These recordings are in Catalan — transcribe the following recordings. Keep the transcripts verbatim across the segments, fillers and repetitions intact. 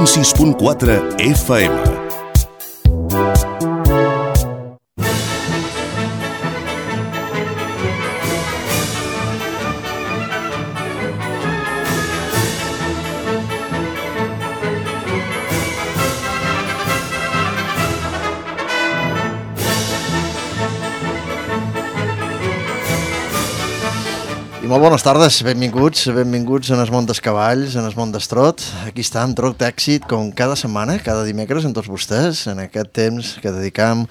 sis punt quatre F M. Molt bones tardes, benvinguts, benvinguts en el món dels cavalls, en el món d'Estrot. Aquí està, en Troc d'Èxit, com cada setmana, cada dimecres, amb tots vostès, en aquest temps que dedicam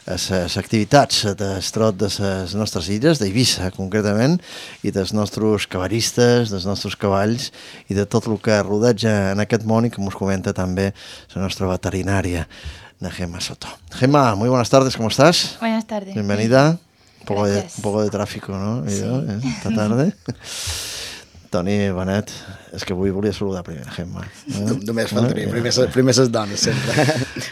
a les activitats d'Estrot de les nostres illes, d'Eivissa concretament, i dels nostres cavallistes, dels nostres cavalls, i de tot el que rodeja en aquest món i que ens comenta també la nostra veterinària, la Gemma Soto. Gemma, muy buenas tardes, ¿cómo estás? Buenas tardes. Bienvenida. Un poco, de, Gracias. un poco de tráfico, ¿no? Sí. Yo, eh, esta tarde. Toni Benet, és que avui volia saludar primer, Gemma. Eh? Només faltaria, primer, primer ses dones, sempre.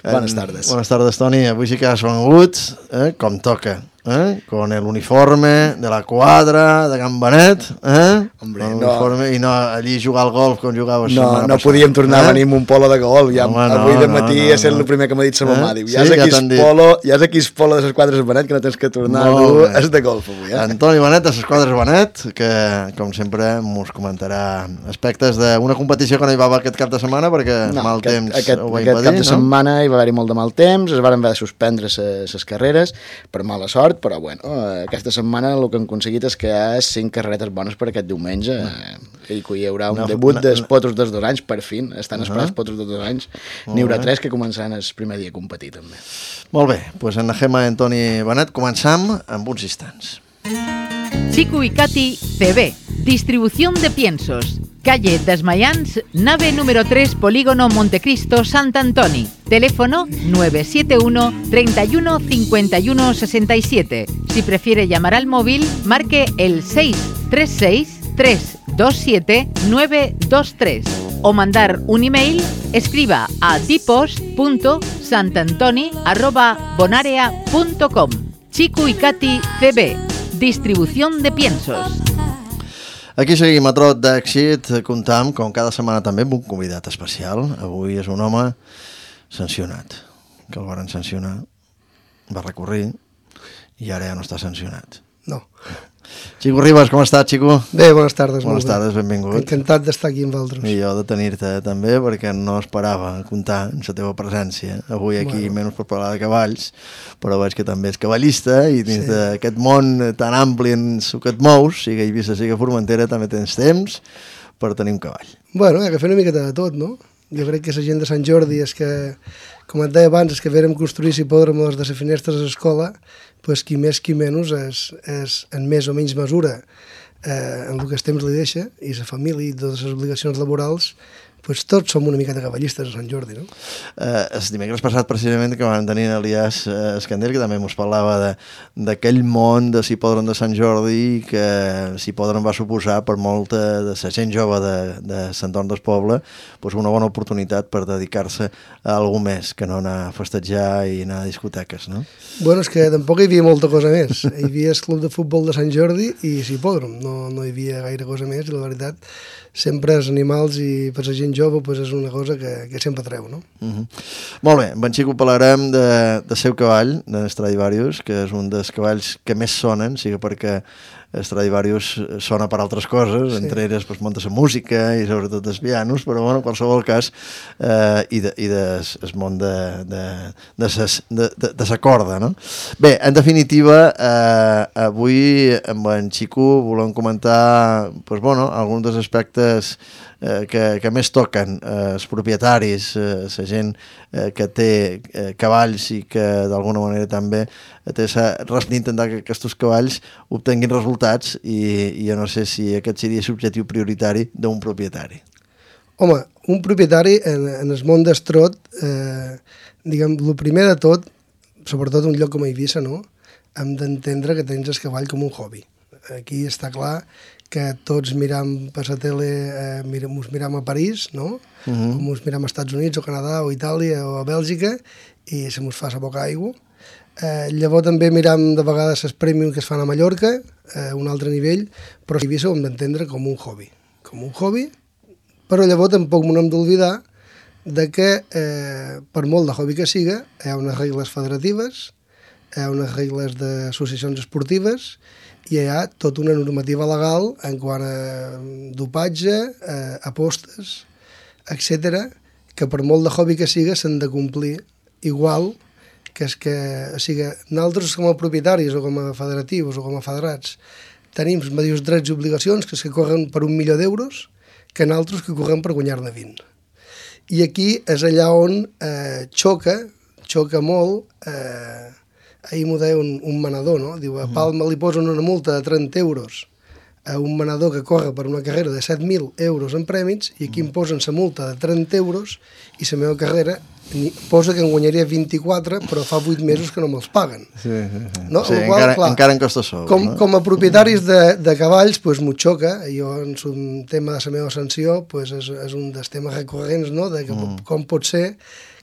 Bones tardes. Buenas tardes, Toni. Avui sí que has vengut, eh, com toca, eh? Con el uniforme de la quadra de Can Benet, eh? Hombre, el no. uniforme, i no allí jugar al golf com jugaves No, setmana no passada. podíem tornar eh? a venir amb un polo de gol. Ja, Home, no, avui de no, matí no, ha estat no. el primer que m'ha dit sa mamà. Eh? Diu, ja Sí, és ja aquí t'han el dit. polo, ja és aquí el polo de les quadres Benet, que no tens que tornar a Molt dur, bé. és de golf avui, eh? Antoni Benet, de les quadres Benet, que, com sempre, mos comentarà aspectes d'una competició que no hi va haver aquest cap de setmana, perquè no, mal aquest, temps aquest, ho va aquest impedir, cap de no? setmana hi va haver-hi molt de mal temps, es van haver de suspendre les carreres per mala sort, però bueno, eh, aquesta setmana el que hem aconseguit és que hi ha cinc carreretes bones per aquest diumenge, eh, i que hi haurà un No, debut no, dels no. potros dels dos anys, per fin, estan esperats Uh-huh. potros dels dos anys, Molt n'hi haurà bé. tres que començaran el primer dia a competir també. Molt bé, doncs en la Gemma i Antoni Benet començam amb uns instants. Chico y Katy C B, distribución de piensos. Calle Desmayans, nave número tres, Polígono Montecristo, Sant Antoni. Teléfono nueve siete uno, treinta y uno, cincuenta y uno, sesenta y siete. Si prefiere llamar al móvil, marque el seis tres seis, tres dos siete, nueve dos tres. O mandar un email, escriba a dipost punto santantoni arroba bonarea punto com. Chico y Katy C B, distribución de piensos. Aquí seguim a Trot d'Èxit, comptam, com cada setmana també, amb un convidat especial. Avui és un home sancionat, que el van sancionar, va recórrer i ara ja no està sancionat. No. Chico Ribas, com estàs, Chico? Bé, bones tardes. Bones molt bé. tardes, benvingut. Encantat d'estar aquí amb vosaltres. I jo de tenir-te també, perquè no esperava comptar amb la teva presència. Avui aquí, Bueno. menys per parlar de cavalls, però veig que també és cavallista i dins Sí. d'aquest món tan ampli en el que et mous, siga Eivissa, siga Formentera, també tens temps per tenir un cavall. Bueno, hi ha que fer una miqueta de tot, no? Jo crec que la gent de Sant Jordi és que, com et deia abans, és que vérem construir l'hipòdrom de les finestres a l'escola, pues qui més qui menys és, és en més o menys mesura eh, en el que el temps li deixa, i la família i totes les obligacions laborals, pues tots som una miqueta cavallistes a Sant Jordi, no? Eh, el dimecres passat, precisament, que vam tenir Elias eh, Escandell, que també ens parlava de- d'aquell món de l'hipòdrom de Sant Jordi, que l'hipòdrom va suposar per molta de la gent jove de, de Sant Torn del Poble pues una bona oportunitat per dedicar-se a alguna més que no anar a festejar i anar a discoteques, no? Bueno, és que tampoc hi havia molta cosa més. Hi havia el club de futbol de Sant Jordi i l'hipòdrom, no, no hi havia gaire cosa més, i la veritat, sempre els animals i per la gent jove pues és una cosa que, que sempre treu, no? Uh -huh. Molt bé, amb en Xico parlarem de, de seu cavall, de Stradivarius, que és un dels cavalls que més sonen, sigui perquè Stradivarius sona per altres coses, Sí. entre elles pues, munta la música i sobretot els pianos, però bueno, en qualsevol cas, eh, i, de, i des, el món de, de, de, ses, de, de, de sa corda, no? Bé, en definitiva, eh, avui amb en Xico volem comentar pues, bueno, alguns dels aspectes eh, que, que més toquen eh, els propietaris, eh, la gent eh, que té eh, cavalls i que d'alguna manera també té d'intentar que aquests cavalls obtenguin resultats i, i jo no sé si aquest seria l'objectiu prioritari d'un propietari. Home, un propietari en, en el món d'Estrot, eh, diguem, el primer de tot, sobretot un lloc com Eivissa, no? Hem d'entendre que tens el cavall com un hobby. Aquí està clar que tots miram per la tele, eh, miram, us miram a París, no? Uh -huh. Com us miram als Estats Units o Canadà o Itàlia o a Bèlgica, i se mos fa la boca aigua. Eh, llavors també miram de vegades els premium que es fan a Mallorca, eh, un altre nivell, però a Eivissa ho hem d'entendre com un hobby. Com un hobby, però llavors tampoc no hem d'oblidar de que, eh, per molt de hobby que siga, hi ha unes regles federatives, hi ha unes regles d'associacions esportives i hi ha tota una normativa legal en quant a dopatge, eh, apostes, etcètera, que per molt de hobby que siga s'han de complir igual, que és que, o sigui, nosaltres com a propietaris o com a federatius o com a federats tenim els mateixos drets i obligacions que els que corren per un milió d'euros que nosaltres que correm per guanyar-ne vint. I aquí és allà on eh, xoca, xoca molt, eh, ahir m'ho deia un, un manador, no? Diu, a Palma li posen una multa de trenta euros a un manador que corre per una carrera de set mil euros en prèmits i aquí em posen la multa de trenta euros i la meva carrera ni, posa que en guanyaria vint-i-quatre però fa vuit mesos que no me'ls paguen. Sí, sí, sí. No? Sí, qual, encara, clar, encara en costa sou. Com, no? com a propietaris de, de cavalls, pues, m'ho xoca. Jo, en un tema de la meva sanció, pues, és, és un dels temes recurrents, no? De que, mm. com pot ser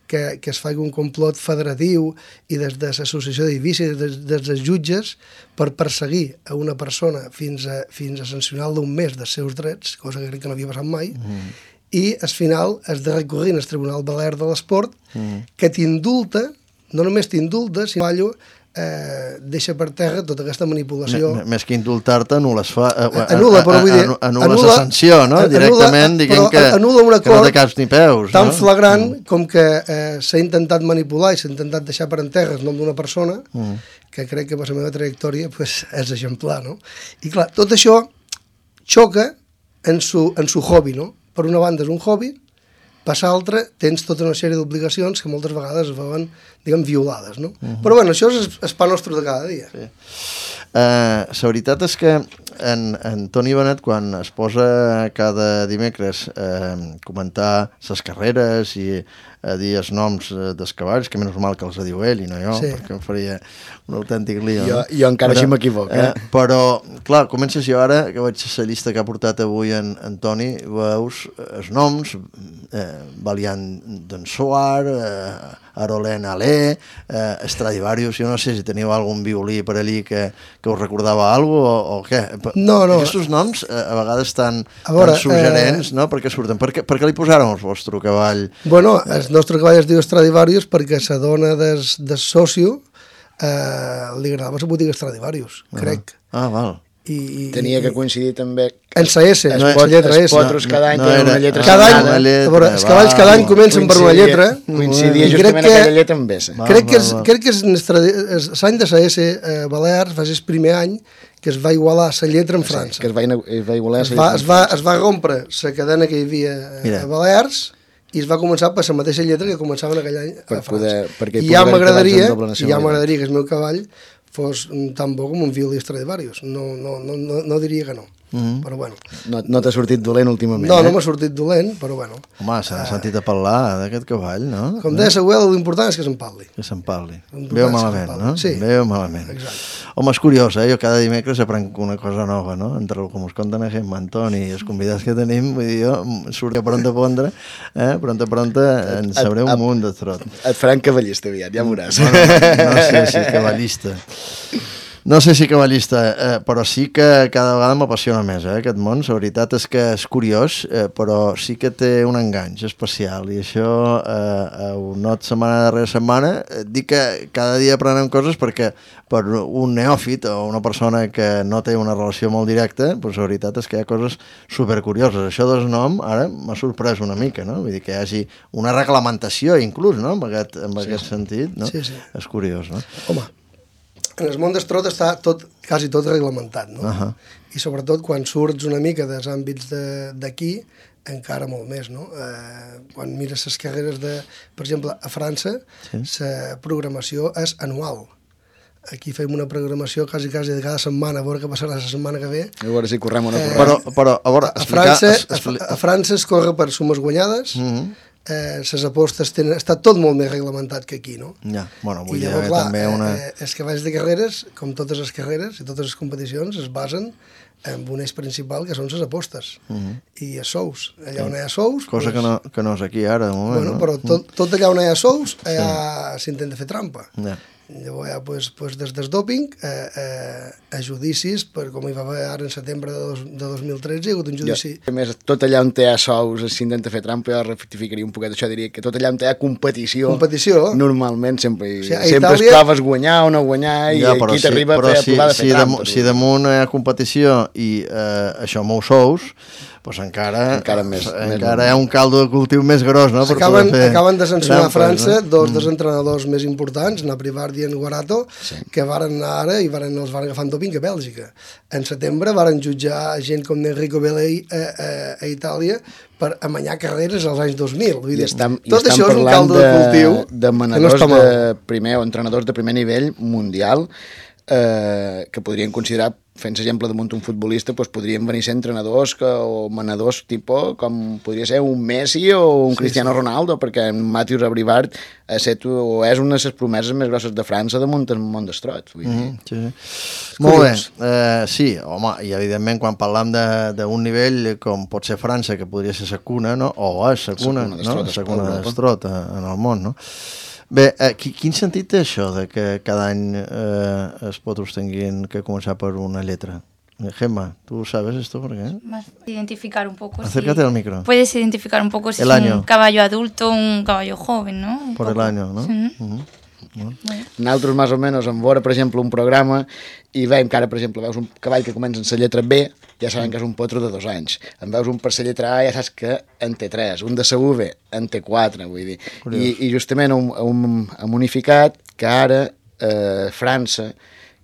que, que es faci un complot federatiu i des de l'associació d'edificis, des, des dels jutges, per perseguir a una persona fins a, fins a sancionar d'un mes dels seus drets, cosa que crec que no havia passat mai, mm. i al final has de recurrir al Tribunal Balear de l'Esport, mm. que t'indulta, no només t'indulta, sinó que eh, deixa per terra tota aquesta manipulació. M més que indultar-te, anul·les fa... Eh, anul·la, però vull dir... Anul·les la sanció, no? Directament, diguem que, que no té caps ni peus. Tan no? flagrant mm. com que eh, s'ha intentat manipular i s'ha intentat deixar per en terra el nom d'una persona, mm. que crec que per la meva trajectòria pues, és exemplar, no? I clar, tot això xoca en su, en su hobby, no? Per una banda és un hobby, per l'altra tens tota una sèrie d'obligacions que moltes vegades es veuen, diguem, violades, no? Uh -huh. Però bueno, això és el pa nostre de cada dia. Sí. Uh, la veritat és que en, en Toni Benet, quan es posa cada dimecres a uh, comentar les carreres i a dir els noms dels cavalls, que menys mal que els diu ell i no jo, sí. perquè em faria un autèntic lío. Jo, no? jo encara però, així m'equivoco. Eh? Eh, però, clar, comences jo ara, que veig la llista que ha portat avui en, en Toni, veus els noms, eh, Valiant d'en Soar, eh, Arolén Alé, eh, Stradivarius, jo no sé si teniu algun violí per allí que, que us recordava alguna cosa o, o què. No, no. Aquests noms eh, a vegades tan, a veure, tan suggerents, eh... no? Per què surten? Per què, per què li posàrem el vostre cavall? Bueno, el nostre cavall es diu Stradivarius perquè la dona del, del socio eh, li agradava la botiga Stradivarius, uh -huh. crec. Ah, val. I, i, Tenia que coincidir també en la S, en no, la lletra S. Els potros cada any no, tenen no una lletra cada any, separada. a veure, els cavalls cada any comencen per una lletra. Coincidia justament que, aquella lletra amb S. Crec que, és, crec que és l'any de la S eh, Balears, va ser el primer any que es va igualar la lletra en França. Sí, que es va, es va igualar es va, es, va, es va rompre la cadena que hi havia Mira. a Balears i es va començar per la mateixa lletra que començaven aquell any per a França. Poder, I ja m'agradaria ja m'agradaria que el meu cavall fos tan bo com un violí Stradivarius. No, no, no, no, no diria que no. Mm-hmm. Però bueno. No, no t'ha sortit dolent últimament, No, eh? no m'ha sortit dolent, però bueno. Home, s'ha uh, sentit a parlar d'aquest cavall, no? Com deia l'abuela, l'important és que se'n parli. Que se'n parli. Veu malament, no? Sí. Veu malament. Exacte. Home, és curiós, eh? Jo cada dimecres aprenc una cosa nova, no? Entre el que mos conten a Gemma, Antoni i els convidats que tenim, vull dir, jo surto pronta a pondre, eh? Pronta, pronta, en sabré un munt de trot. Et faran cavallista aviat, ja veuràs. Bueno, no sé si cavallista. No sé si cavallista, eh, però sí que cada vegada m'apassiona més, eh, aquest món. La veritat és que és curiós, eh, però sí que té un enganx especial, i això eh, ho not setmana darrere setmana. Eh, dic que cada dia aprenem coses perquè per un neòfit o una persona que no té una relació molt directa, doncs la veritat és que hi ha coses supercurioses. Això del nom ara m'ha sorprès una mica, no? Vull dir que hi hagi una reglamentació inclús, no?, en aquest, en aquest sí, sentit, no? Sí, sí. És curiós, no? Home, en el món d'estrot està tot, quasi tot reglamentat, no? Uh -huh. I sobretot quan surts una mica dels àmbits d'aquí, encara molt més, no? Eh, quan mires les carreres de... Per exemple, a França, la sí. programació és anual. Aquí fem una programació quasi, quasi de cada setmana, a veure què passarà la setmana que ve. A veure si correm o no correm. Eh, però, però, a veure, a, França, a, a França es corre per sumes guanyades, uh -huh. Eh, les apostes tenen, està tot molt més reglamentat que aquí, no? Ja, bueno, vull I dir llavors, clar, també una... Eh, els cavalls de carreres, com totes les carreres i totes les competicions, es basen en un eix principal que són les apostes uh -huh. i els sous. Allà on hi ha sous... Cosa doncs, que, no, que no és aquí ara, de moment, bueno, no? Però tot, tot allà on hi ha sous, allà s'intenta fer trampa. Ja. Llavors, ja, pues, pues, des del doping a, a, a judicis, per com hi va haver ara en setembre de, dos, de dos mil tretze, hi ha hagut un judici... Jo, a més, tot allà on hi ha sous, s'intenta fer trampa, jo rectificaria un poquet això, diria que tot allà on hi ha competició, competició. normalment sempre, o sigui, sempre Itàlia... es proves guanyar o no guanyar, i ja, aquí si, t'arriba a fer, si, a provar de fer si trampa. De, si damunt hi ha competició i eh, això mou sous, pues encara, encara, més, encara més hi ha un caldo de cultiu més gros, no? Per acaben, fer acaben de sancionar a França no? dos mm. dels entrenadors més importants, Naprivardi i Guarato, sí. que varen anar ara i varen, els van agafar en doping a Bèlgica. En setembre varen jutjar gent com Enrico Belli a, a, a Itàlia per amanyar carreres als anys dos mil. Vull dir, I estan, tot i això és un caldo de, de cultiu de manadors no de primer o entrenadors de primer nivell mundial eh, que podrien considerar, fent exemple damunt un futbolista, doncs podrien venir a ser entrenadors que, o manadors tipus com podria ser un Messi o un sí, Cristiano sí. Ronaldo, perquè en Mathieu Abrivard ha set, o és una de les promeses més grosses de França damunt el món d'estrot. Mm -hmm, sí, sí. Molt bé, eh, sí, home, i evidentment quan parlam d'un nivell com pot ser França, que podria ser sa cuna, no? o és sa cuna, no? sa cuna d'estrot en el món, no? Bé, eh, quin sentit té això de que cada any eh, es pot obtenir que començar per una letra? Gemma, ¿tú sabes esto por qué? Más identificar un poco. Acércate si al micro. Puedes identificar un poco si el es año. un caballo adulto o un caballo joven, ¿no? Un por poco. el año, ¿no? Sí. Uh-huh. Bueno. Nosaltres, més o menys, en veure, per exemple, un programa i veiem que ara, per exemple, veus un cavall que comença en la lletra B, ja sabem que és un potro de dos anys. En veus un per la lletra A, ja saps que en té tres. Un de la U V, en té quatre, vull dir. I, I justament hem, hem, hem unificat que ara eh, França,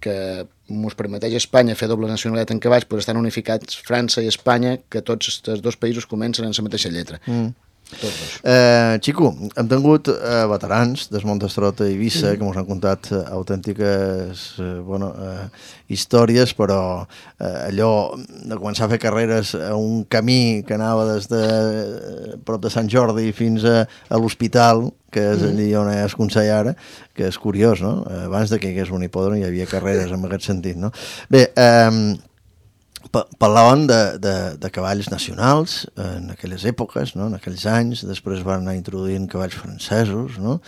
que ens permeteix a Espanya fer doble nacionalitat en cavalls, però estan unificats França i Espanya, que tots els dos països comencen en la mateixa lletra. Mm. Eh, Xico, hem tingut eh, veterans del món d'estrot a Eivissa mm. que ens han contat eh, autèntiques eh, bueno, eh, històries, però eh, allò de començar a fer carreres a un camí que anava des de eh, prop de Sant Jordi fins a, a l'hospital, que és allí on es consella ara, que és curiós, no? Abans de que hi hagués un hipòdrom hi havia carreres en aquest sentit, no? Bé, eh, parlaven de, de, de cavalls nacionals en aquelles èpoques, no? En aquells anys, després van anar introduint cavalls francesos, no?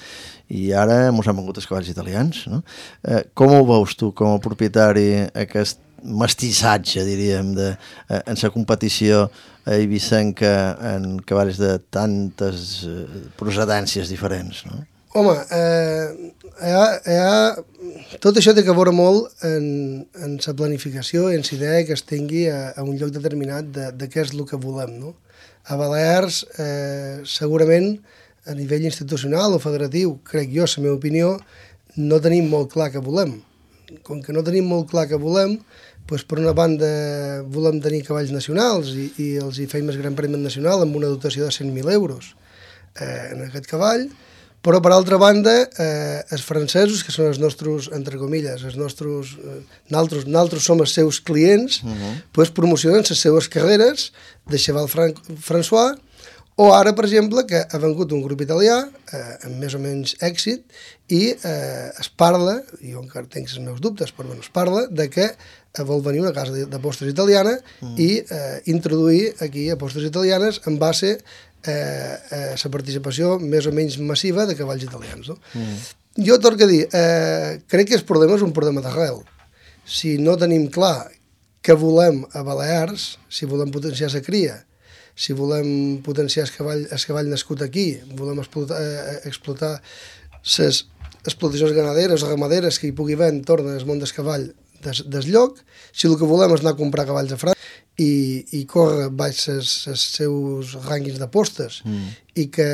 I ara ens han vengut els cavalls italians, no? Eh, com ho veus tu com a propietari aquest mestissatge, diríem, de, eh, en la competició eivissenca en cavalls de tantes eh, procedències diferents, no? Home, eh, hi ha, hi ha... tot això té que veure molt en, en la planificació i en la idea que es tingui a, a un lloc determinat de, de què és el que volem, no? A Balears, eh, segurament, a nivell institucional o federatiu, crec jo, la meva opinió, no tenim molt clar què volem. Com que no tenim molt clar què volem, doncs per una banda volem tenir cavalls nacionals i, i els hi feim el Gran Premi Nacional amb una dotació de cent mil euros eh, en aquest cavall, però per altra banda, eh, els francesos, que són els nostres, entre comilles, els nostres, eh, naltros, naltros som els seus clients, uh -huh. pues promocionen les seves carreres de Cheval Fran François, o ara, per exemple, que ha vengut un grup italià, eh, amb més o menys èxit, i eh, es parla, i jo encara tinc els meus dubtes, però bueno, es parla de que vol venir una casa d'apostes italiana mm. i eh, introduir aquí apostes italianes en base eh, a la participació més o menys massiva de cavalls italians. No? Mm. Jo torno a dir, eh, crec que el problema és un problema d'arrel. Si no tenim clar què volem a Balears, si volem potenciar la cria, si volem potenciar el cavall, el cavall nascut aquí, volem explotar, eh, explotar les explotacions ganaderes o ramaderes que hi pugui haver entorn del món del cavall des, des lloc, si el que volem és anar a comprar cavalls a França i, i córrer baix els seus rànquings d'apostes mm. i que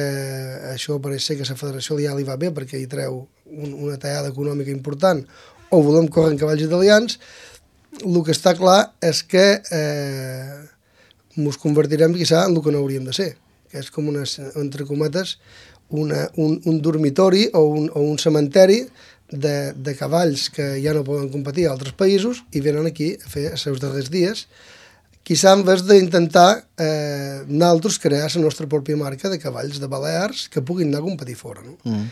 això pareix ser que la federació ja li va bé perquè hi treu un, una tallada econòmica important, o volem córrer en cavalls italians, el que està clar és que eh, ens convertirem quizà en el que no hauríem de ser, que és com una, entre cometes, una, un, un dormitori o un, o un cementeri de, de cavalls que ja no poden competir a altres països i venen aquí a fer els seus darrers dies, quizà en vez d'intentar eh, nosaltres crear la nostra pròpia marca de cavalls de Balears que puguin anar a competir fora. No? Mm.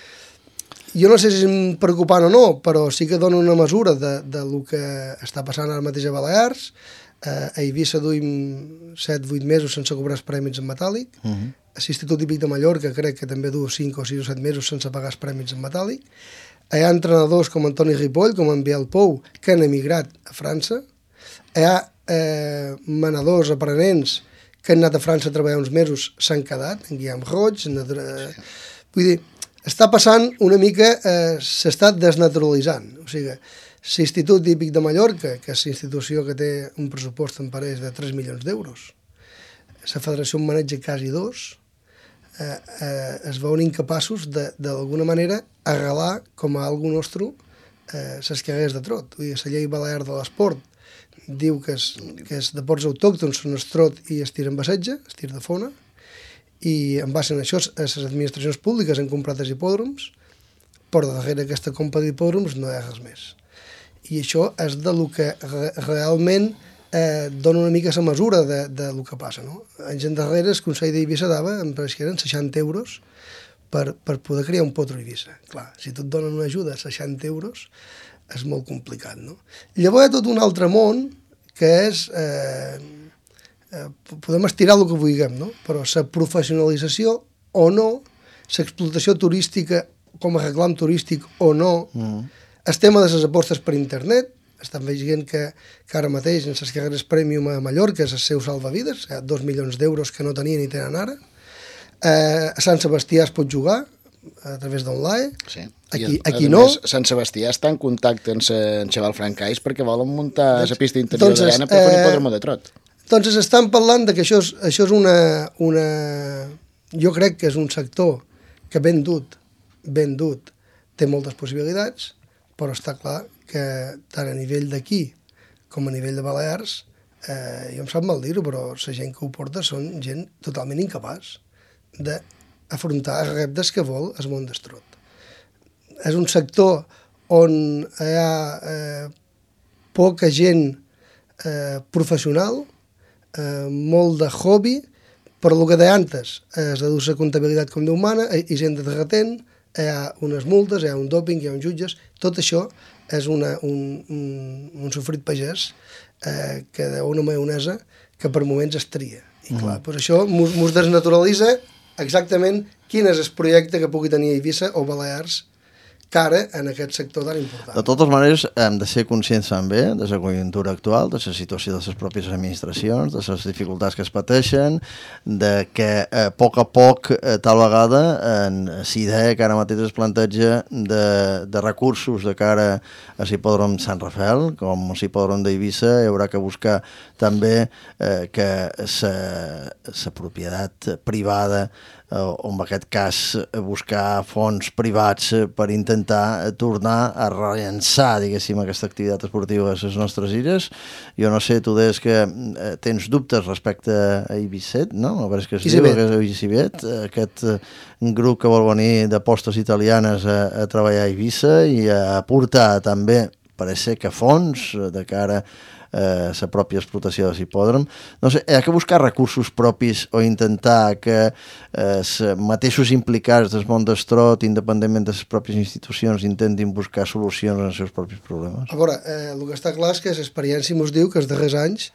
Jo no sé si és preocupant o no, però sí que dona una mesura de, de lo que està passant ara mateix a Balears. Uh, a Eivissa duim set vuit mesos sense cobrar els prèmits en metàl·lic. Uh -huh. A l'Institut Hípic de Mallorca crec que també du cinc o sis o set mesos sense pagar els prèmits en metàl·lic. hi ha entrenadors com Antoni Ripoll, com en Biel Pou, que han emigrat a França, hi ha eh, manadors, aprenents, que han anat a França a treballar uns mesos, s'han quedat, en Guillaume Roig, en, eh, vull dir, està passant una mica, eh, s'està desnaturalitzant, o sigui, l'Institut Hípic de Mallorca, que és l'institució que té un pressupost en pareix de tres milions d'euros, la federació en maneja quasi dos, eh, eh, es veuen incapaços d'alguna manera arrelar com a algú nostre eh, les carreres de trot. Vull dir, la llei balear de l'esport diu que és, que és de ports autòctons són el trot i el tir en bassetge, el tir de fona, i en base a això les administracions públiques han comprat els hipòdroms, però darrere aquesta compra d'hipòdroms no hi ha res més. I això és de lo que re realment eh, dona una mica la mesura de, de lo que passa. No? Anys endarrere el Consell d'Eivissa dava, em pareix que eren seixanta euros per, per poder crear un potro a Eivissa. Clar, si tu et donen una ajuda a seixanta euros és molt complicat. No? Llavors hi ha tot un altre món que és... Eh, eh, podem estirar el que vulguem, no? Però la professionalització o no, l'explotació turística com a reclam turístic o no, mm. el tema de les apostes per internet, estan veient que, que ara mateix en les carreres premium a Mallorca és el seu salvavides, hi ha dos milions d'euros que no tenien i tenen ara. Eh, a Sant Sebastià es pot jugar a través d'online, sí. aquí, I, aquí no. Més, Sant Sebastià està en contacte amb en Xaval Francais perquè volen muntar la doncs, pista interior doncs, d'arena per fer un eh, hipòdromo de trot. Doncs estan parlant de que això és, això és una, una... Jo crec que és un sector que ben dut, ben dut, té moltes possibilitats, però està clar que tant a nivell d'aquí com a nivell de Balears, eh, jo em sap mal dir-ho, però la gent que ho porta són gent totalment incapaç d'afrontar els reptes que vol el món del trot. És un sector on hi ha eh, poca gent eh, professional, eh, molt de hobby, per lo que d'antes es deduce comptabilitat com Déu mana, i gent de retent, hi ha unes multes, hi ha un doping, hi ha uns jutges, tot això és una, un, un, un sofrit pagès eh, que deu una maionesa que per moments es tria. I clar, mm. doncs això mos desnaturalitza exactament quin és el projecte que pugui tenir Eivissa o Balears cara en aquest sector tan important. De totes maneres, hem de ser conscients també de la conjuntura actual, de la situació de les pròpies administracions, de les dificultats que es pateixen, de que eh, a poc a poc, eh, tal vegada, en la idea que ara mateix es planteja de, de recursos de cara a l'hipòdrom Sant Rafael, com l'hipòdrom d'Eivissa, hi haurà que buscar també eh, que la propietat privada o en aquest cas buscar fons privats per intentar tornar a rellençar, diguéssim, aquesta activitat esportiva a les nostres illes. Jo no sé, tu deies que tens dubtes respecte a Eivissat, no? A veure que es diu, que és Eivissibet, aquest grup que vol venir d'apostes italianes a, a treballar a Eivissa i a aportar també, pareix ser que fons de cara la eh, pròpia explotació de l'hipòdrom. No sé, hi ha que buscar recursos propis o intentar que els eh, mateixos implicats del món del trot, independentment de les pròpies institucions, intentin buscar solucions als seus propis problemes. A veure, eh, el que està clar és que l'experiència mos diu que els darrers anys,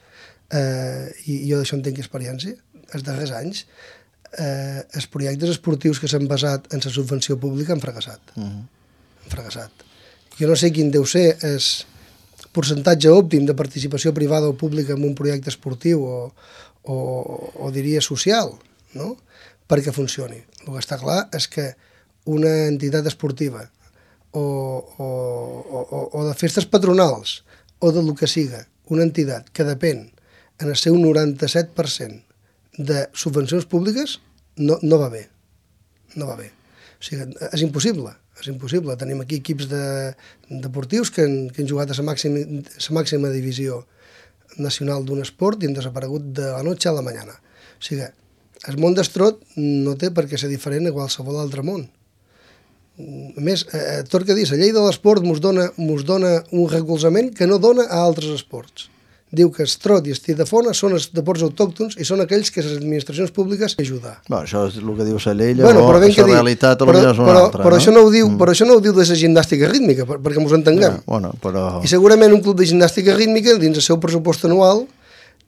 eh, i jo d'això en tinc experiència, els darrers anys, eh, els projectes esportius que s'han basat en la subvenció pública han fracassat. Uh-huh. Han fracassat. Jo no sé quin deu ser és percentatge òptim de participació privada o pública en un projecte esportiu o, o, o diria social, no? Perquè funcioni. El que està clar és que una entitat esportiva o, o, o, o de festes patronals o de lo que siga, una entitat que depèn en el seu noranta-set per cent de subvencions públiques, no, no va bé. No va bé. O sigui, és impossible. És impossible. Tenim aquí equips de, deportius que han, que han jugat a la màxima, la màxima divisió nacional d'un esport i han desaparegut de la noche a la mañana. O sigui, el món del trot no té per què ser diferent a qualsevol altre món. A més, eh, tot que dir, la llei de l'esport mos dona, mos dona un recolzament que no dona a altres esports. Diu que el trot i el tir de fona són els deports autòctons i són aquells que les administracions públiques ajuden. Bueno, això és el que diu la llei, bueno, però la realitat però, és una però, altra. Però, no? això no ho diu, mm. però això no ho diu de la gimnàstica rítmica, per, perquè ens entenguem. Ja, bueno, però... I segurament un club de gimnàstica rítmica, dins el seu pressupost anual,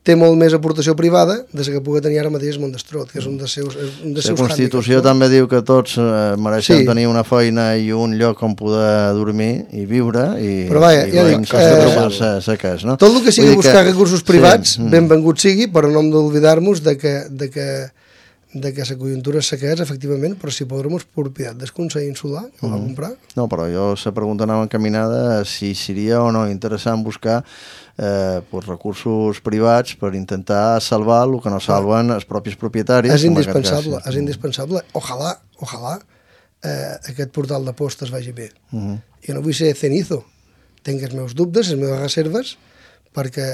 té molt més aportació privada de la que pugui tenir ara mateix Mondestrot, que és un dels seus, un dels La seus Constitució hàndicaps, també diu que tots eh, mereixem Sí. tenir una feina i un lloc on poder dormir i viure i, Però vaja, i ja veiem dic, costa eh, trobar-se seques, no? Tot el que sigui Vull dir buscar recursos privats, sí, mm. benvengut sigui, però no hem d'oblidar-nos de que, de que de que la conjuntura és sequés, efectivament, però si podrem propietat del Consell Insular, que ho va comprar. No, però jo la pregunta anava encaminada si seria o no interessant buscar eh, pues, recursos privats per intentar salvar el que no salven els propis propietaris. És com en aquest indispensable, cas. és indispensable. Ojalà, ojalà eh, aquest portal de postes vagi bé. Uh -huh. Jo no vull ser cenizo, tinc els meus dubtes, les meves reserves, perquè,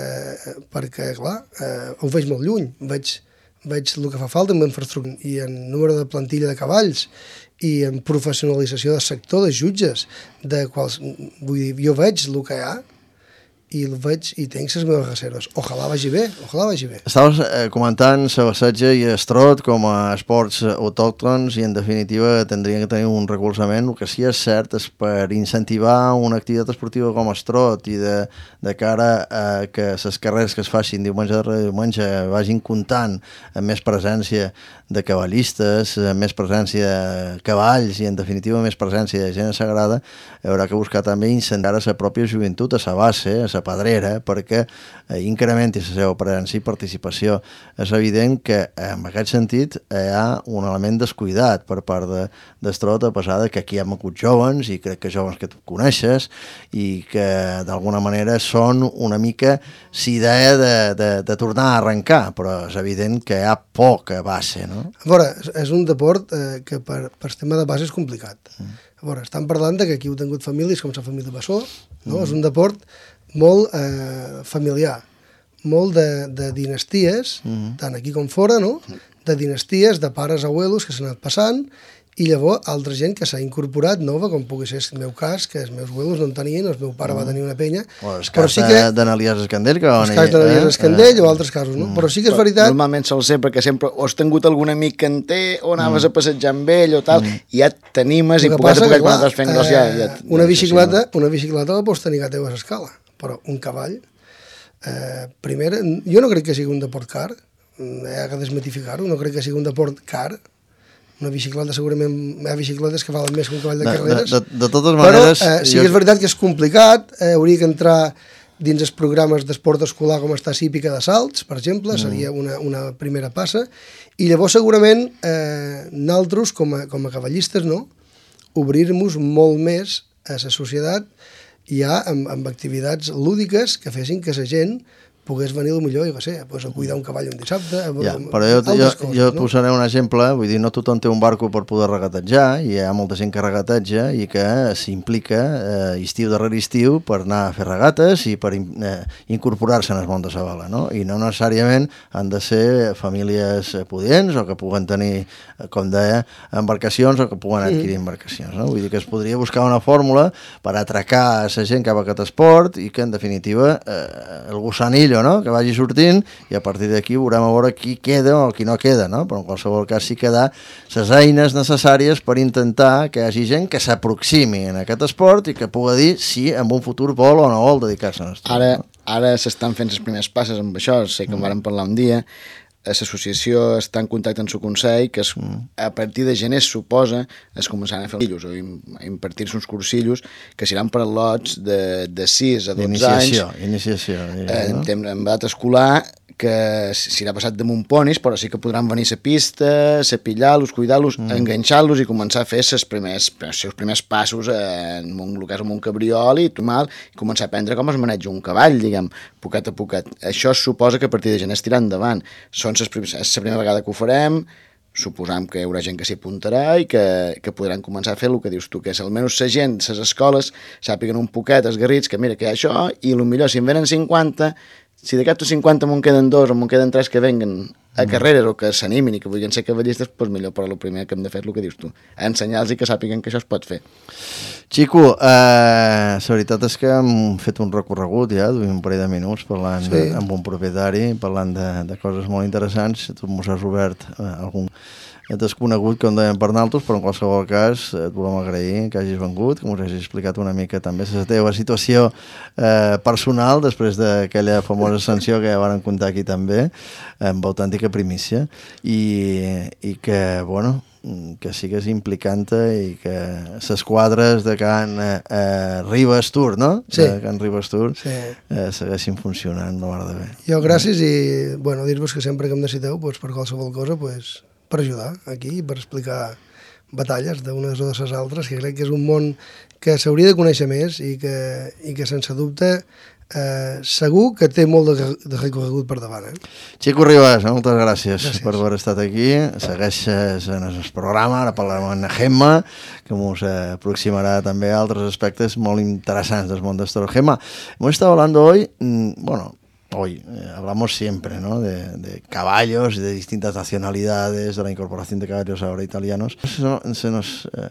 perquè clar, eh, ho veig molt lluny, veig veig el que fa falta en infraestructura i en número de plantilla de cavalls i en professionalització del sector, de jutges, de quals, vull dir, jo veig el que hi ha i el veig i tinc les meves reserves. Ojalà vagi bé, ojalà vagi bé. Estaves eh, comentant la bassetge i el trot com a esports autòctons i en definitiva tindrien que tenir un recolzament. El que sí és cert és per incentivar una activitat esportiva com el trot i de, de cara a que les carreres que es facin diumenge darrere diumenge vagin comptant amb més presència de cavallistes, amb més presència de cavalls i en definitiva més presència de gent sagrada, haurà que buscar també incentivar a la pròpia joventut, a la base, a la pedrera, perquè eh, incrementi la seva presència i participació. És evident que en aquest sentit hi ha un element descuidat per part de, d'Estrot, a pesar de que aquí hi ha hagut joves i crec que joves que tu coneixes i que d'alguna manera són una mica l'idea de, de, de tornar a arrencar, però és evident que hi ha poca base, no? A veure, és un deport eh, que per, per tema de base és complicat. A veure, estan parlant de que aquí heu tingut famílies com la família Bassó, no? Mm. És un deport molt eh, familiar, molt de, de dinasties, mm. tant aquí com fora, no? De dinasties, de pares, abuelos, que s'han anat passant, i llavors altra gent que s'ha incorporat nova, com pugui ser el meu cas, que els meus abuelos no en tenien, el meu pare mm. va tenir una penya. O el cas sí que... d'Analies Escandell, que el cas d'Analies Escandell eh? o altres casos, no? Mm. Però sí que és veritat... Normalment sol ser perquè sempre o has tingut algun amic que en té, o anaves mm. a passejar amb ell o tal, mm. i ja t'animes i poquet a poquet quan estàs fent gros ja... ja una, bicicleta, una bicicleta la pots tenir que teu a l'escala, però un cavall... Eh, primer, jo no crec que sigui un deport car, he de desmitificar-ho, no crec que sigui un deport car. Una bicicleta, segurament hi ha bicicletes que valen més que un cavall de, de carreres. De, de, de totes maneres... Però eh, sí jo... que és veritat que és complicat, eh, hauria que entrar dins els programes d'esport escolar com està Hípica de Salts, per exemple, mm. seria una, una primera passa, i llavors segurament eh, nosaltres, com a, com a cavallistes, no? Obrir-nos molt més a la societat ja amb, amb activitats lúdiques que fessin que la gent pogués venir millor, jo què sé, pues, a cuidar un cavall un dissabte... Ja, però jo, jo, coses, jo et no? posaré un exemple, vull dir, no tothom té un barco per poder regatejar, i hi ha molta gent que regateja i que s'implica eh, estiu darrere estiu per anar a fer regates i per eh, incorporar-se en el món de la vela, no? I no necessàriament han de ser famílies pudients o que puguen tenir, com deia, embarcacions o que puguen adquirir mm. embarcacions, no? Vull dir que es podria buscar una fórmula per atracar a la gent cap a aquest esport i que, en definitiva, eh, el gusanillo, no? Que vagi sortint i a partir d'aquí veurem a veure qui queda o qui no queda, no? Però en qualsevol cas sí que ha les eines necessàries per intentar que hi hagi gent que s'aproximi en aquest esport i que pugui dir si en un futur vol o no vol dedicar-se a l'esport. Ara, no? ara s'estan fent les primeres passes amb això, sé que en vàrem parlar un dia, l'associació està en contacte amb el Consell, que es, a partir de gener, suposa, es començaran a fer cursillos, o a impartir-se uns cursillos que seran per lots de, de sis a dotze anys. Iniciació, iniciació. Eh, no? En, en edat escolar, que s'irà passat damunt ponis, però sí que podran venir a la pista, cepillar-los, cuidar-los, mm. enganxar-los i començar a fer els primers, els seus primers passos en un, el cas amb un cabriol i mal, i començar a aprendre com es maneja un cavall, diguem, poquet a poquet. Això suposa que a partir de gener es tirar endavant. Són les primeres, és la primera vegada que ho farem, suposam que hi haurà gent que s'hi apuntarà i que, que podran començar a fer el que dius tu, que és almenys la gent, les escoles, sàpiguen un poquet esgarrits que mira que hi ha això, i potser si en venen cinquanta, si d'aquests cinquanta me'n queden dos o me'n queden tres que venguen a carreres o que s'animin i que vulguin ser cavallistes, doncs millor, però el primer que hem de fer és el que dius tu, ensenyar-los i que sàpiguen que això es pot fer. Xico, eh, la veritat és que hem fet un recorregut ja, d'un parell de minuts parlant sí. de, amb un propietari, parlant de, de coses molt interessants. Tu mos has obert eh, algun desconegut, com dèiem per naltros, però en qualsevol cas et volem agrair que hagis vengut, que mos hagis explicat una mica també la teva situació eh, personal després d'aquella famosa sanció que ja van contar aquí també, amb autèntica primícia, i, i que, bueno, que sigues implicant i que les quadres de Can eh, Ribes Tour, no? Sí. De Can Ribes Tour Sí. eh, segueixin funcionant, la mar de bé. Jo gràcies i, bueno, dir-vos que sempre que em necessiteu, doncs, per qualsevol cosa, doncs, per ajudar aquí, per explicar batalles d'unes o de les altres, que crec que és un món que s'hauria de conèixer més i que, i que sense dubte eh, segur que té molt de, de recorregut per davant. Eh? Xico Ribas, moltes gràcies, gràcies per haver estat aquí. Segueixes en el programa, ara parlarem amb Gemma, que ens aproximarà també a altres aspectes molt interessants del món del toro. Gemma, hemos estado hablando hoy, mmm, bueno, Hoy eh, hablamos siempre, ¿no? de, de caballos, de distintas nacionalidades, de la incorporación de caballos ahora italianos. Se, no, se, nos, eh,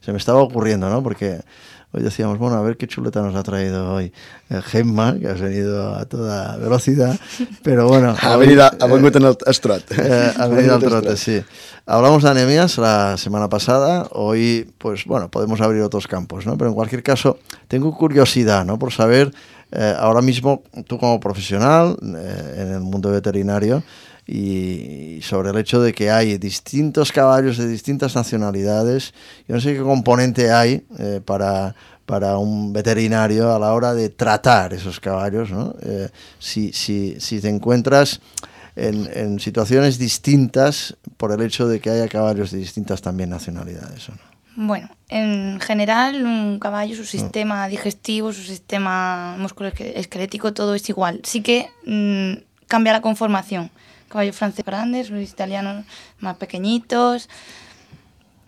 se me estaba ocurriendo, ¿no? Porque hoy decíamos, bueno, a ver qué chuleta nos ha traído hoy eh, Gemma, que has venido a toda velocidad, pero bueno... Ha venido a vengut en el estrot. Eh, ha venido al trote, sí. Hablamos de anemias la semana pasada, hoy, pues bueno, podemos abrir otros campos, ¿no? Pero en cualquier caso, tengo curiosidad, ¿no? Por saber... Eh, ahora mismo, tú como profesional eh, en el mundo veterinario y, y sobre el hecho de que hay distintos caballos de distintas nacionalidades, yo no sé qué componente hay eh, para, para un veterinario a la hora de tratar esos caballos, ¿no? Eh, si, si, si te encuentras en, en situaciones distintas por el hecho de que haya caballos de distintas también nacionalidades, ¿o no? Bueno, en general un caballo, su sistema digestivo, su sistema musculoesquelético, todo es igual. Sí que mmm, cambia la conformación. Caballos franceses grandes, los italianos más pequeñitos.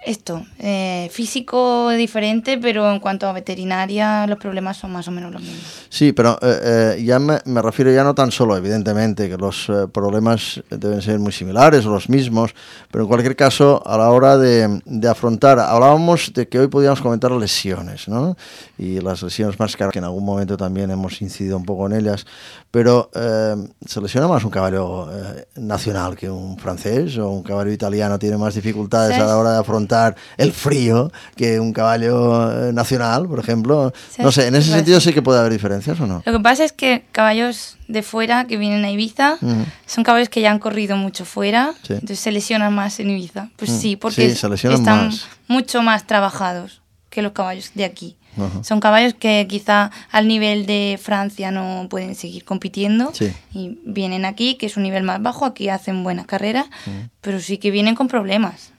Esto, eh, físico diferente, pero en cuanto a veterinaria los problemas son más o menos los mismos. Sí, pero eh, eh, ya me, me refiero ya no tan solo, evidentemente, que los eh, problemas deben ser muy similares o los mismos, pero en cualquier caso, a la hora de, de afrontar, hablábamos de que hoy podíamos comentar lesiones, ¿no? Y las lesiones más caras, que en algún momento también hemos incidido un poco en ellas, pero eh, ¿se lesiona más un caballo eh, nacional que un francés, o un caballo italiano tiene más dificultades ¿sabes? A la hora de afrontar el frío que un caballo nacional, por ejemplo? ¿Sabes? No sé, en ese sentido sí que puede haber diferencias, ¿o no? Lo que pasa es que caballos de fuera que vienen a Ibiza uh-huh. son caballos que ya han corrido mucho fuera, sí. entonces se lesionan más en Ibiza. Pues uh-huh. sí, porque sí, se lesionan están más. mucho más trabajados que los caballos de aquí. Uh-huh. Son caballos que quizá al nivel de Francia no pueden seguir compitiendo sí. y vienen aquí, que es un nivel más bajo, aquí hacen buena carrera, uh-huh. pero sí que vienen con problemas.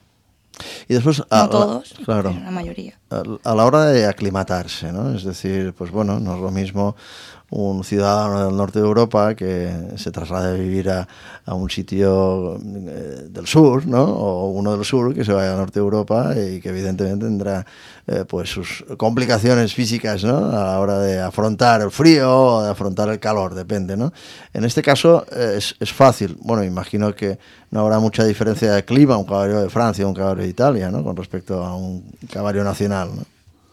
Y después, no a, todos, claro, pero la mayoría. A, a la hora de aclimatarse, ¿no? Es decir, pues bueno, no es lo mismo un ciudadano del norte de Europa que se traslade a vivir a, a un sitio eh, del sur, ¿no? O uno del sur que se vaya al norte de Europa y que evidentemente tendrá eh, pues sus complicaciones físicas, ¿no? A la hora de afrontar el frío o de afrontar el calor, depende, ¿no? En este caso eh, es, es fácil. Bueno, imagino que no habrá mucha diferencia de clima un caballo de Francia o un caballo de Italia, ¿no? Con respecto a un caballo nacional, ¿no?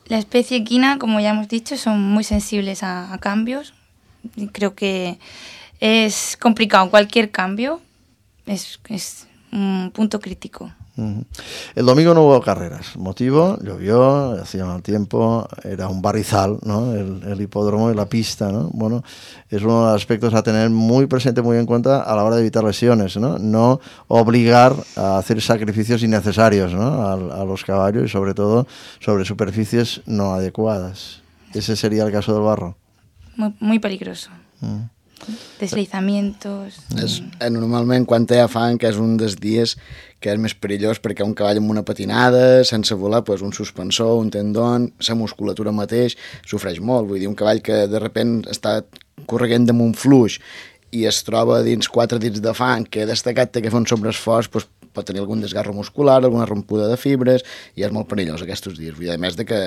La especie equina, como ya hemos dicho, son muy sensibles a, a cambios. Y creo que es complicado. Cualquier cambio es, es un punto crítico. Uh-huh. El domingo no hubo carreras. Motivo, llovió, hacía mal tiempo, era un barrizal, ¿no? El, el hipódromo y la pista, ¿no? Bueno, es uno de los aspectos a tener muy presente, muy en cuenta a la hora de evitar lesiones, ¿no? No obligar a hacer sacrificios innecesarios, ¿no? A, a los caballos y sobre todo sobre superficies no adecuadas. Ese sería el caso del barro. Muy, muy peligroso. Uh-huh. Deslizamientos... És, normalment quan hi ha fang, que és un dels dies que és més perillós perquè un cavall amb una patinada, sense volar, pues, un suspensor, un tendon, la musculatura mateix sofreix molt. Vull dir, un cavall que de repent està correguent damunt fluix i es troba dins quatre dits de fang, que destacat té que fer un sobreesforç, pues, pot tenir algun desgarro muscular, alguna rompuda de fibres, i és molt perillós aquests dies. I a més de que,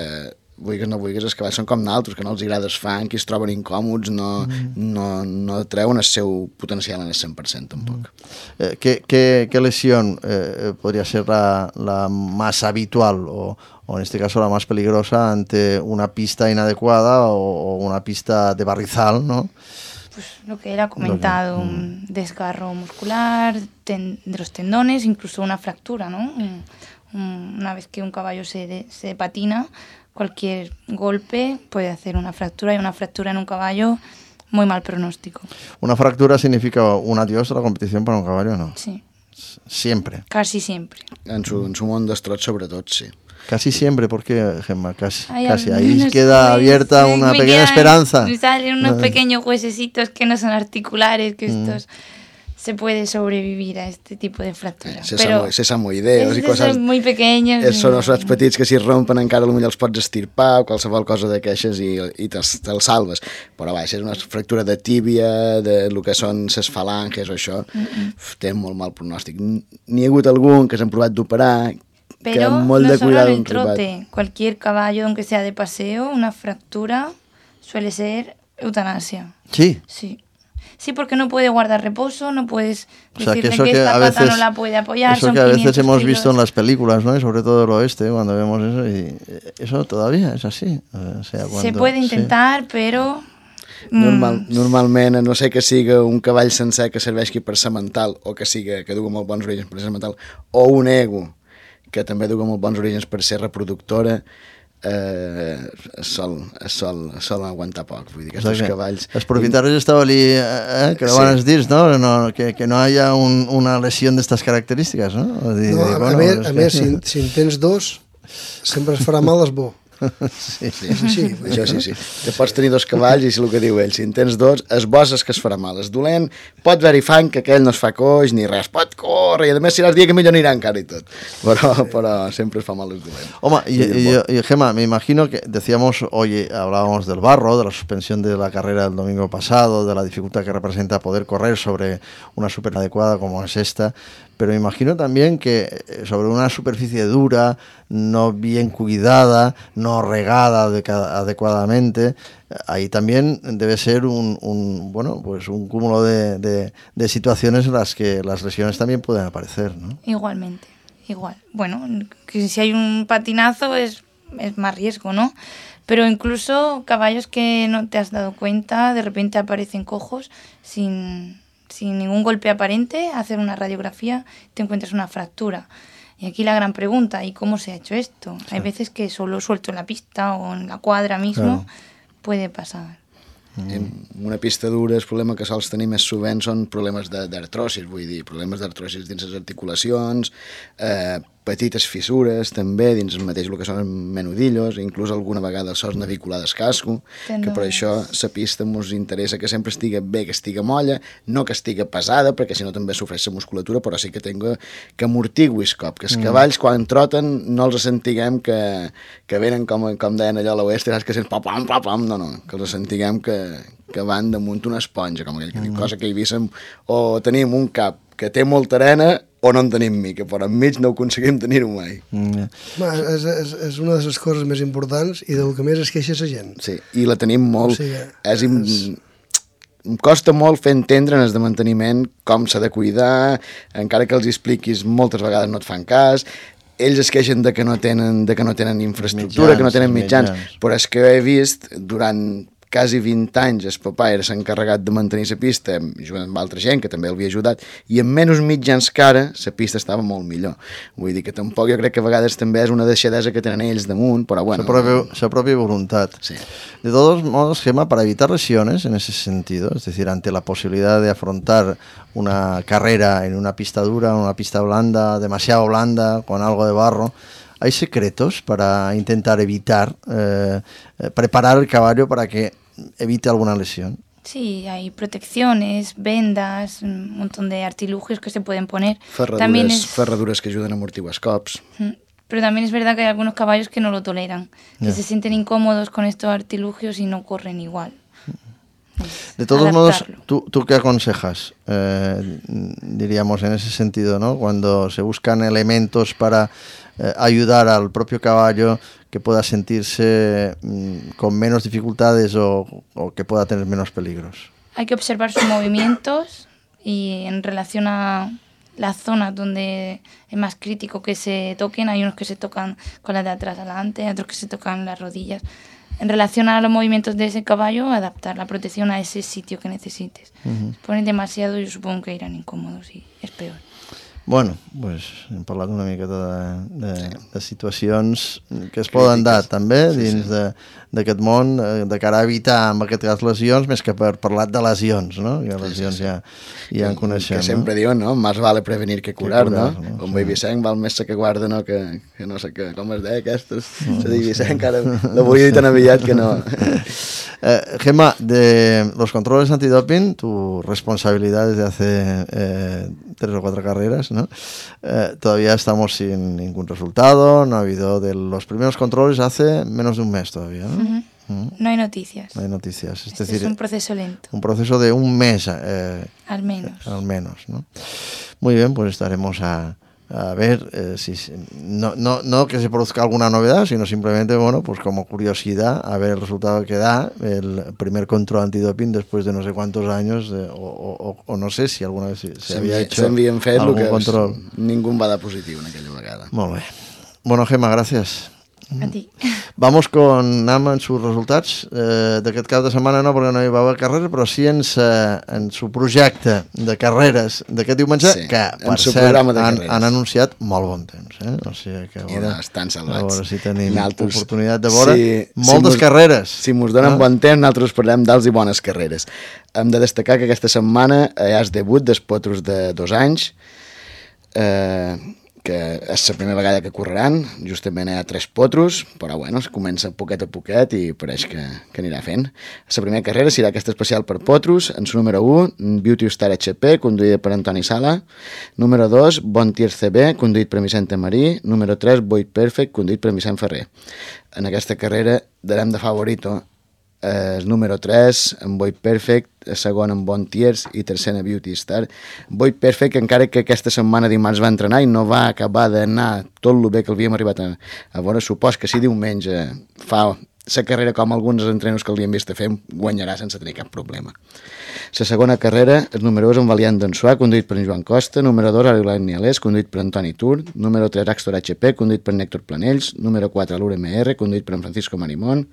vulguis no vulguis, els cavalls són com naltros, que no els agrada el fang, que es troben incòmods, no, mm. no, no treuen el seu potencial en el cent per cent tampoc. Mm. Eh, ¿qué, qué, ¿Qué lesión eh, podría ser la, la más habitual o, o en este caso la más peligrosa ante una pista inadecuada o, o una pista de barrizal, ¿no? Pues lo que él ha comentado, que, mm. un desgarro muscular, ten, de los tendones, incluso una fractura, ¿no? Un, un, una vez que un caballo se, de, se patina, cualquier golpe puede hacer una fractura, y una fractura en un caballo, muy mal pronóstico. ¿Una fractura significa un adiós a la competición para un caballo, no? Sí. Siempre. Casi siempre. En su, en su món d'estrot, sobretot, sí. Casi siempre, ¿por qué, Gemma? Casi, Ay, casi. Ahí queda abierta una pequeña quedan, esperanza. Me salen unos pequeños huesecitos que no son articulares, que estos... Mm. se puede sobrevivir a este tipo de fracturas. Eh, però sesamoideus i coses... muy pequeños. Eh, són els petits que si rompen encara potser els pots estirpar o qualsevol cosa d'aquestes i, i te'ls te salves. Però va, si és una fractura de tíbia, de lo que són ses falanges o això, mm -mm. té molt mal pronòstic. N'hi ha hagut algun que s'han provat d'operar, que amb molt no de cuidado en el trote, cualquier caballo, aunque sea de paseo, una fractura suele ser eutanasia. ¿Sí? Sí. Sí, porque no puede guardar reposo, no puedes o sea, decirle que, eso que, que esta a pata veces, no la puede apoyar. Eso son que a veces hemos kilos. visto en las películas, ¿no? Y sobre todo del oeste, cuando vemos eso, y eso todavía es así. O sea, cuando, Se puede intentar, sí. Però... Normal, normalment, a no sé que siga un cavall sencer que serveixi per semental o que siga que dugui molt bons orígens per ser semental, o un ego que també dugui molt bons orígens per ser reproductora, eh, es, sol, es, sol, es sol aguantar poc. Vull dir que aquests cavalls... Els propietaris establir, eh, que lo van a dir, no? no que, que no haya un, una lesión de estas características, ¿no? Dir, no a, bueno, a més, a més si, si en tens dos, sempre es farà mal es bo. Sí, sí, sí, sí, això sí, sí. Te pots tenir dos cavalls i és el que diu ell, si en tens dos, es bo és que es farà mal, es dolent, pot haver-hi fang, que aquell no es fa coix ni res, pot córrer, i a més si l'has dia que millor anirà encara i tot, però, però sempre es fa mal, es dolent. Home, y, y, y, y Gemma, me imagino que decíamos, hoy hablábamos del barro, de la suspensión de la carrera del domingo pasado, de la dificultad que representa poder correr sobre una super adecuada como es esta, pero me imagino también que sobre una superficie dura, no bien cuidada, no regada adecuadamente, ahí también debe ser un, un bueno, pues un cúmulo de, de, de situaciones en las que las lesiones también pueden aparecer, ¿no? Igualmente, igual. Bueno, que si hay un patinazo es, es más riesgo, ¿no? Pero incluso caballos que no te has dado cuenta, de repente aparecen cojos sin... sin ningún golpe aparente, hacer una radiografía, te encuentras una fractura. Y aquí la gran pregunta, ¿y cómo se ha hecho esto? Sí. Hay veces que solo suelto en la pista o en la cuadra mismo, claro. Puede pasar. En una pista dura el problema que sols tenir més sovint són problemes d'artrosis, vull dir, problemes d'artrosis dins les articulacions, eh, petites fissures també dins el mateix el que són menudillos, inclús alguna vegada el sos navicular del casco, que per això la pista ens interessa que sempre estigui bé, que estigui molla, no que estigui pesada, perquè si no també sofreix la musculatura, però sí que tenga que amortigui el cop, que els cavalls quan troten no els sentiguem que, que venen com, com deien allò a l'oest, que sents pam, pam, pam, pam, no, no, que els sentiguem que, que van damunt una esponja, com aquell que diu, cosa que hi víssim, o tenim un cap que té molta arena o no en tenim mica, però enmig no aconseguim tenir-ho mai. Mm. Ma, és, és, és una de les coses més importants i del que més es queixa la gent. Sí, i la tenim molt... O sigui, és im... és... Em costa molt fer entendre en el de manteniment com s'ha de cuidar, encara que els expliquis moltes vegades no et fan cas, ells es queixen de que no tenen, de que no tenen infraestructura, mitjans, que no tenen mitjans, mitjans, però és que he vist durant quasi vint anys el papà era s'encarregat de mantenir la pista jugant amb altra gent que també l'havia ajudat i amb menys mitjans que ara la pista estava molt millor, vull dir que tampoc jo crec que a vegades també és una deixadesa que tenen ells damunt, però bueno, su propia, su propia voluntad. Sí. De todos modos, Gemma, para evitar lesiones en ese sentido, es decir, ante la posibilidad de afrontar una carrera en una pista dura, una pista blanda, demasiado blanda, con algo de barro, ¿hay secretos para intentar evitar, eh, preparar el caballo para que evite alguna lesión? Sí, hay protecciones, vendas, un montón de artilugios que se pueden poner. Ferradures, también es... ferradures que ayudan a amortiguar els cops. Pero también es verdad que hay algunos caballos que no lo toleran, que yeah. se sienten incómodos con estos artilugios y no corren igual. De todos modos, adaptarlo. ¿tú, ¿tú qué aconsejas? Eh, diríamos en ese sentido, ¿no? Cuando se buscan elementos para eh, ayudar al propio caballo que pueda sentirse mm, con menos dificultades o, o que pueda tener menos peligros. Hay que observar sus movimientos y en relación a las zonas donde es más crítico que se toquen, hay unos que se tocan con las de atrás adelante, otros que se tocan las rodillas. En relación a los movimientos de ese caballo, adaptar la protección a ese sitio que necesites. Uh-huh. Si ponen demasiado, yo supongo que irán incòmodos i és peor. Bueno, pues, hem parlat una miqueta de, de, sí. de situacions que es poden dar també sí, dins sí. d'aquest món de cara a evitar, en aquest cas, lesions, més que per parlar de lesions, no? Que lesions sí, sí, sí. ja, ja en coneixem. Que sempre no? diuen, no? Más vale prevenir que curar, que curar no? no? Com sí. Vicent, val més que guarda, no? Que, que no sé què, com es deia aquestes. No, se digui Vicent, que ara lo vull dir tan aviat que no. Eh, Gemma, de los controles antidoping, tu responsabilidad desde hace eh, tres o cuatro carreras, ¿no? Eh, todavía estamos sin ningún resultado, no ha habido de los primeros controles hace menos de un mes todavía, ¿no? Uh-huh. Uh-huh. No hay noticias. No hay noticias. Es este decir, es un proceso lento. Un proceso de un mes. Eh, al menos. Eh, al menos, ¿no? Muy bien, pues estaremos a... a ver eh, si no, no, no que se produzca alguna novedad, sino simplemente, bueno, pues como curiosidad, a ver el resultado que da el primer control antidoping después de no sé cuántos años, eh, o, o, o no sé si alguna vez se, se había hecho s'havien fet algun que control. Ningú va dar positiu en aquella vegada. Molt bé. Bueno, Gemma, gràcies. A ti. Vamos con Nam en sus resultats. Eh, d'aquest cap de setmana no, perquè no hi va haver carrera, però sí en, sa, en su projecte de carreres d'aquest diumenge, sí, que per cert han, han anunciat molt bon temps. Eh? O sigui que a veure, estan salvats. A veure si tenim altres, oportunitat de veure si, moltes si carreres. Si mos donen no? bon temps, nosaltres parlem d'alts i bones carreres. Hem de destacar que aquesta setmana hi ha el debut dels potros de dos anys, eh, que és la primera vegada que correran, justament hi ha tres potros, però bueno, es comença poquet a poquet i pareix que, que anirà fent. La primera carrera serà aquesta especial per potros, en su número u, Beauty Star H P, conduïda per Antoni Sala, número dos, Bon Tier C B, conduït per Vicente Marí, número tres, Boyd Perfect, conduït per Vicent Ferrer. En aquesta carrera darem de favorito el número tres, en Boyd Perfect, el segon en Bon Tiers i tercer en Beauty Star. Boyd Perfect, encara que aquesta setmana dimarts va entrenar i no va acabar d'anar tot el bé que l'havíem arribat a, a veure, supos que si diumenge fa la carrera com alguns entrenos que l'havien vist a fer, guanyarà sense tenir cap problema. La segona carrera, el número dos, en Valiant d'Ansuà, conduït per en Joan Costa, número dos, Ariel Nialés, conduït per Antoni Tur, número tres, Axtor H P, conduït per Néctor Planells, número quatre, l'U R M R, conduït per en Francisco Marimón,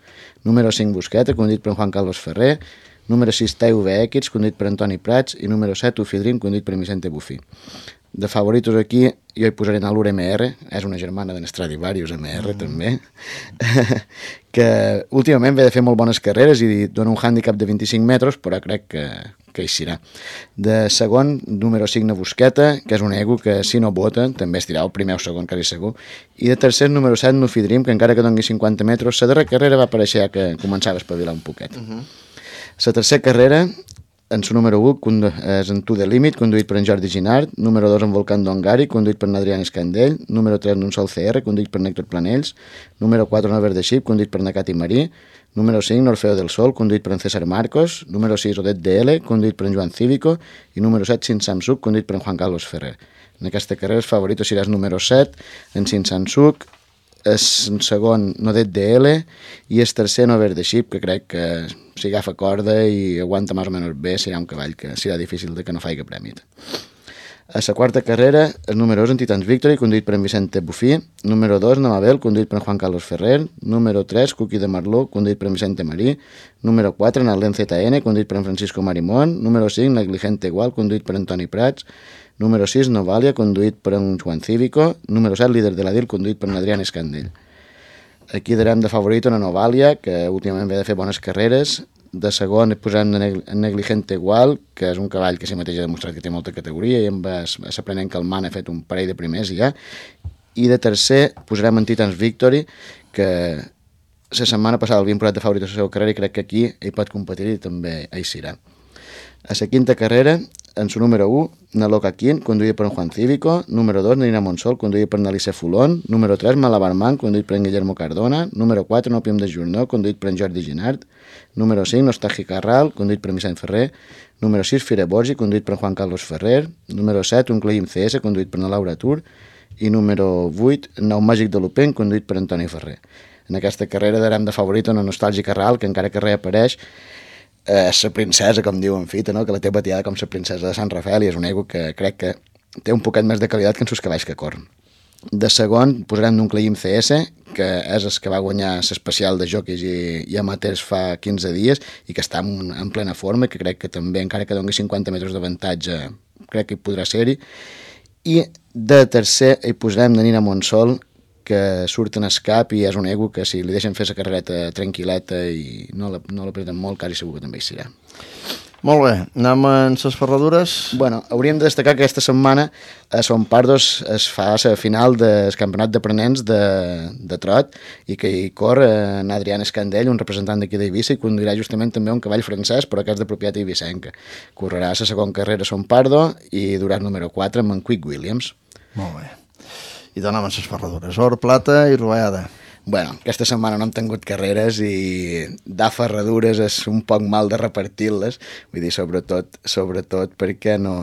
número cinc, Busqueta, conduït per en Juan Carlos Ferrer, número sis, T V X, conduït per Antoni Prats, i número set, Ufidrim, conduït per Vicente Bufí. De favoritos aquí, jo hi posaré en l'U R M R, és una germana d'en Stradivarius M R, mm. també, que últimament ve de fer molt bones carreres i dona un hàndicap de vint-i-cinc metres, però crec que, que hi serà. De segon, número cinc, Busqueta, que és un ego que si no vota, també estirà el primer o segon, quasi segur. I de tercer, número set, Nufidrim, que encara que doni cinquanta metres, la darrera carrera va aparèixer ja que començava a espavilar un poquet. Mm-hmm. La tercera carrera, en su número u, és en To The Limit, conduït per en Jordi Ginard, número dos, en Volcán Dongari, conduït per en Adrián Escandell, número tres, en un Sol C R, conduït per Néctor Planells, número quatre, en Verde Ship, conduït per Nakati Marí, número cinc, Orfeo del Sol, conduït per en César Marcos, número sis, Odet D L, conduït per en Joan Cívico, i número set, Sin Samsuk, conduït per en Juan Carlos Ferrer. En aquesta carrera el favorit serà el número set, en Sin Samsuk, el segon Nodet D L i el tercer no Verde Ship, que crec que si agafa corda i aguanta més o menys bé serà un cavall que serà difícil de que no faci prèmit. A la quarta carrera, el número dos en Titans Victory, conduït per en Vicente Bufí, número dos Namabel, conduït per en Juan Carlos Ferrer, número tres Cookie de Marló, conduït per en Vicente Marí, número quatre en Allen Z N, conduït per en Francisco Marimón, número cinc Negligente Igual, conduït per en Toni Prats, número sis, Novalia, conduït per en Juan Cívico, número set, Líder de la D I L, conduït per en Adrián Escandell. Aquí darem de favorito en Novalia, que últimament ve de fer bones carreres. De segon posarem en Negligente Igual, que és un cavall que si mateix ha demostrat que té molta categoria i amb l'aprenent que el man ha fet un parell de primers i ja. I de tercer posarem en Titans Victory, que la setmana passada l'havien posat de favorit a la seva carrera i crec que aquí hi pot competir i també hi serà. A la quinta carrera, en su número u, na Loca Quin, conduït per en Juan Cívico. Número dos, Nina Monsol, conduït per Nalice Fulón. Número tres, Malabarman, conduït per en Guillermo Cardona. Número quatre, Nopium de Jornó, conduït per en Jordi Ginart. Número cinc, Nostalgi Carral, conduït per Vicent Ferrer. Número sis, Fire Borgi, conduït per Juan Carlos Ferrer. Número set, Un Cleim C S, conduït per na Laura Tur. I número vuit, Nou Màgic de Lupin, conduït per Antoni Ferrer. En aquesta carrera darem de favorit una Nostàlgia Carral, que encara que reapareix, eh, és la princesa, com diuen Fita, no? Que la té batiada com la princesa de Sant Rafael, i és un ego que crec que té un poquet més de qualitat que en sus cavalls que corren. De segon posarem d'un Cleim C S, que és el que va guanyar l'especial de jockeys i, i amateurs fa quinze dies i que està en, en plena forma, que crec que també, encara que doni cinquanta metres d'avantatge, crec que hi podrà ser-hi. I de tercer hi posarem de Nina Monsol, que surt en escap i és un ego que si li deixen fer la carrereta tranquil·leta i no l'apreten molt, quasi segur que també hi serà. Molt bé, anem en les ferradures. Bueno, hauríem de destacar que aquesta setmana a Son Pardos es fa la final del campionat d'aprenents de, de trot i que hi corre en Adrián Escandell, un representant d'aquí d'Eivissa, i conduirà justament també un cavall francès, però que és de propietat eivissenca. Correrà la segona carrera a Son Pardo i durà el número quatre amb en Quick Williams. Molt bé. I donem les ferradures, or, plata i rovellada. Bueno, aquesta setmana no hem tingut carreres i dar ferradures és un poc mal de repartir-les, vull dir, sobretot, sobretot perquè no...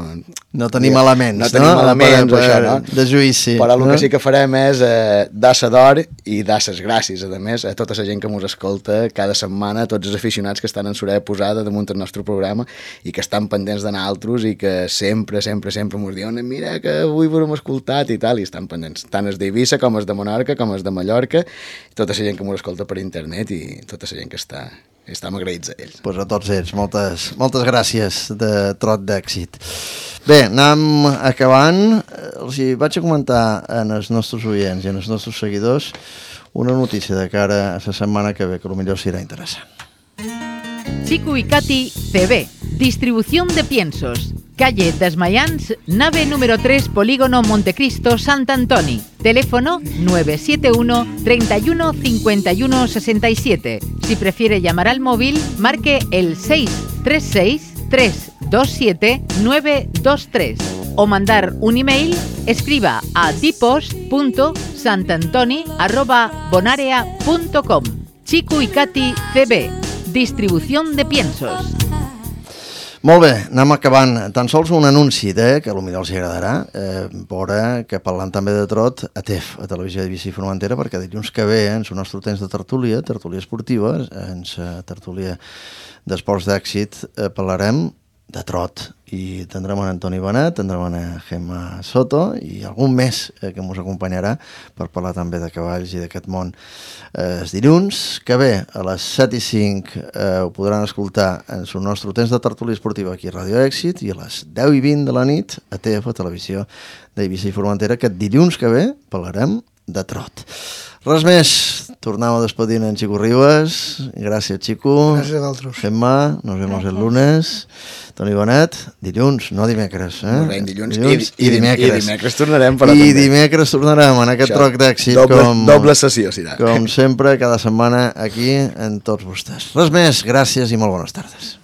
No tenim ja, elements, no? No tenim elements, per, això, no? De juïci. Però el no? que sí que farem és eh, dar-se d'or i dar ses gràcies, a més, a tota la gent que ens escolta cada setmana, a tots els aficionats que estan en l'horella posada damunt el nostre programa i que estan pendents d'anar altres i que sempre, sempre, sempre ens diuen mira que avui ho hem escoltat i tal, i estan pendents, tant els d'Eivissa com els de Menorca, com els de Mallorca, tota la gent que m'ho escolta per internet i tota la gent que està, estem agraïts a ells. Pues a tots ells, moltes, moltes gràcies de trot d'èxit. Bé, anem acabant. Els hi vaig a comentar en els nostres oients i en els nostres seguidors una notícia de cara a la setmana que ve, que potser serà interessant. Chico y Katy C B, distribución de piensos. Calle Desmayans, nave número tres, Polígono Montecristo, Sant Antoni. Teléfono nueve siete uno, treinta y uno, cincuenta y uno, sesenta y siete. Si prefiere llamar al móvil, marque el seis tres seis, tres dos siete, nueve dos tres. O mandar un email, escriba a tipos punto santantoni arroba bonarea punto com. Chico y Katy C B, distribución de piensos. Molt bé, anem acabant. Tan sols un anunci de, que potser els agradarà, eh, veure que parlant també de trot a T E F, a Televisió d'Eivissa i Formentera, perquè dilluns que ve, en el nostre temps de tertúlia, tertúlia esportiva, en la tertúlia d'esports d'èxit, eh, parlarem de trot i tindrem en Antoni Benet, tindrem en Gemma Soto i algun més eh, que ens acompanyarà per parlar també de cavalls i d'aquest món. Eh, els dilluns que ve a les set i cinc eh, ho podran escoltar en el nostre temps de tertúlia esportiva aquí a Ràdio Èxit i a les deu i vint de la nit a T E F, a Televisió d'Eivissa i Formentera, que dilluns que ve parlarem de trot. Res més, tornem a despedir en Chico Ribas. Gràcies, Chico. Gràcies a vosaltres. Gemma, nos vemos el lunes. Toni Benet, dilluns, no dimecres. Eh? Molt bé, dilluns, dilluns i, i, i dimecres. I dimecres tornarem, però I també. dimecres tornarem en aquest Això, troc d'èxit. Doble, com, doble sessió, si da. Com sempre, cada setmana aquí en tots vostès. Res més, gràcies i molt bones tardes.